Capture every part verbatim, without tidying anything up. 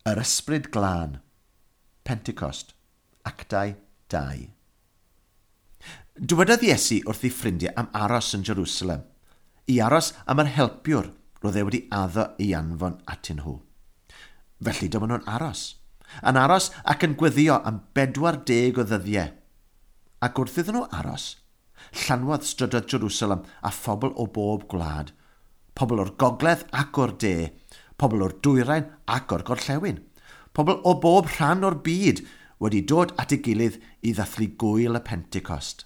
Yr Ysbryd Glân, Pentecost, Actau dau. Dywedodd Iesu wrth ei ffrindiau am aros yn Jerusalem, i aros am yr helpiwr roedd e wedi addo ei anfon atyn nhw. Felly dyma nhw'n aros, yn aros ac yn gweddio am bedwar deg o ddyddiau. Ac wrth iddyn nhw aros, llanwodd strydoedd Jerusalem a phobl o bob gwlad, pobl o'r gogledd ac o'r de, pobl o'r dwyrain ac o'r gorllewin, pobl o bob rhan o'r byd wedi dod at ei gilydd i ddathlu gwyl y Pentecost.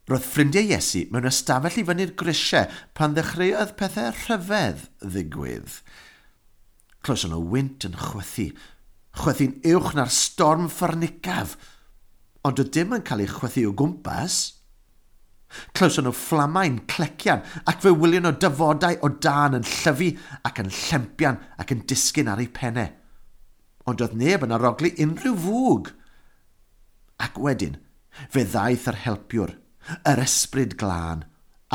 Roedd ffrindiau Iesu mewn ystafell i fyny'r grisiau pan ddechreuodd pethau rhyfedd ddigwydd. Clywson nhw wynt yn chwythu, chwythu'n uwch na'r storm ffyrnicaf, ond doedd dim yn cael ei chwythu o gwmpas. Clywson nhw fflamau'n clecian ac fe wylion nhw dafodau o dân yn llyfu ac yn llempian ac yn disgyn ar eu pennau. Ond doedd neb yn arogli unrhyw fwg. Ac wedyn, fe ddaeth yr helpiwr, yr Ysbryd Glân,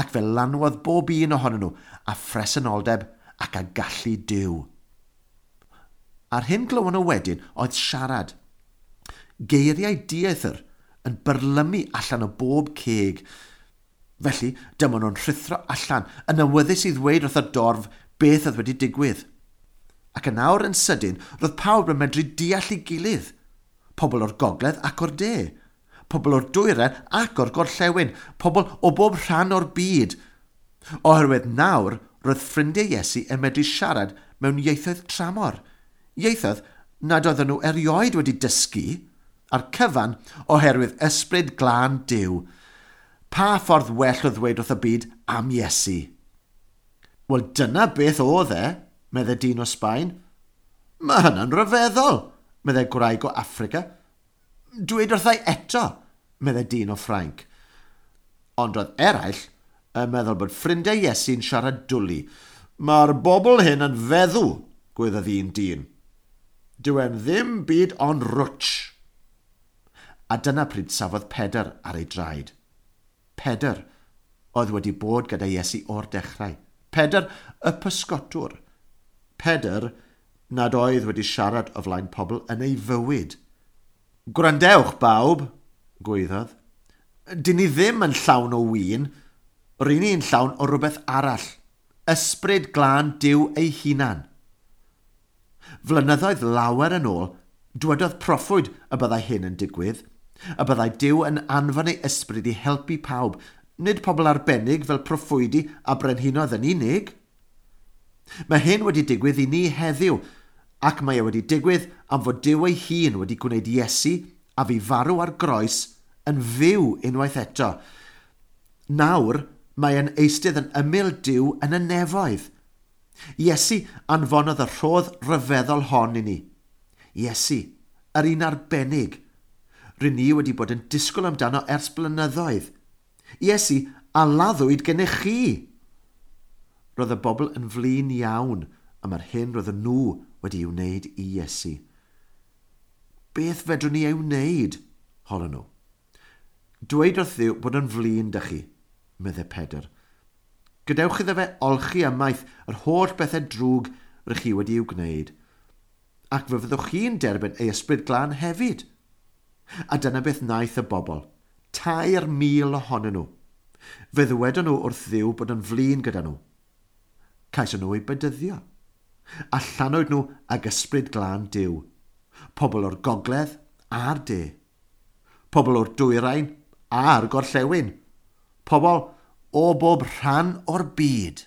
ac fe lanwodd bob un ohonyn nhw a phresenoldeb ac a gallu Duw. A'r hyn glywon nhw wedyn oedd siarad. Geiriau dieithr yn byrlymu allan o bob ceg. Felly, dyma nhw'n rhuthro allan, yn awyddus i ddweud wrth y dorf beth oedd wedi digwydd. Ac yn awr yn sydyn, roedd pawb yn medru deall ei gilydd. Pobl o'r gogledd ac o'r de. Pobl o'r dwyrain ac o'r gorllewin. Pobl o bob rhan o'r byd. Oherwydd nawr, roedd ffrindiau Iesu yn medru siarad mewn ieithoedd tramor. Ieithoedd nad oedden nhw erioed wedi dysgu, a'r cyfan oherwydd Ysbryd Glân Duw. Pa ffordd well o ddweud wrth y byd am Iesu? Wel, dyna beth oedd e, meddai dyn o Sbaen. Mae hynna'n rhyfeddol, meddai gwraig o Affrica. Dweud wrthai eto, meddai dyn o Ffrainc. Ond roedd eraill yn meddwl bod ffrindiau Iesu'n siarad dwli. Mae'r bobl hyn yn feddw, gwaeddodd un dyn. Dyw e'n ddim byd ond rwtsh. A dyna pryd safodd Pedr ar ei draed. Pedr oedd wedi bod gyda Iesu o'r dechrau. Pedr y pysgotwr. Pedr nad oedd wedi siarad o flaen pobl yn ei fywyd. Gwrandewch bawb, gwaeddodd. Dyn ni ddim yn llawn o win, rŷn ni'n llawn o rhywbeth arall. Ysbryd Glân Duw ei hunan. Flynyddoedd lawer yn ôl, dwedodd proffwyd y byddai hyn yn digwydd, y byddai Duw yn anfon ei ysbryd i helpu pawb, nid pobl arbennig fel proffwydi a brenhinoedd yn unig. Mae hyn wedi digwydd i ni heddiw, ac mae e wedi digwydd am fod Duw ei hun wedi gwneud Iesu a fu farw ar groes yn fyw unwaith eto. Nawr mae e'n eistedd yn ymyl Duw yn y nefoedd. Iesu anfonodd y rhodd ryfeddol hon i ni. Iesu, yr un arbennig. Rŷn ni wedi bod yn disgwyl amdano ers blynyddoedd. Iesu, a laddwyd gennych chi. Roedd y bobl yn flin iawn am yr hyn roedden nhw wedi ei wneud i Iesu. Beth fedrwn ni ei wneud? Holon nhw. Dweud wrth Dduw bod yn flin 'da chi, meddai Pedr. Gadewch iddo fe olchi ymaith yr holl bethau drwg rych chi wedi i'w gwneud. Ac fe fyddwch chi'n derbyn ei Ysbryd Glân hefyd. A dyna beth wnaeth y bobl, tair mil ohonyn nhw. Fe ddywedon nhw wrth Dduw bod yn flin gyda nhw. Cawson nhw eu bedyddio. A llanwyd nhw ag Ysbryd Glân Duw. Pobl o'r gogledd a'r de. Pobl o'r dwyrain a'r gorllewin. Pobl o bob rhan o'r byd.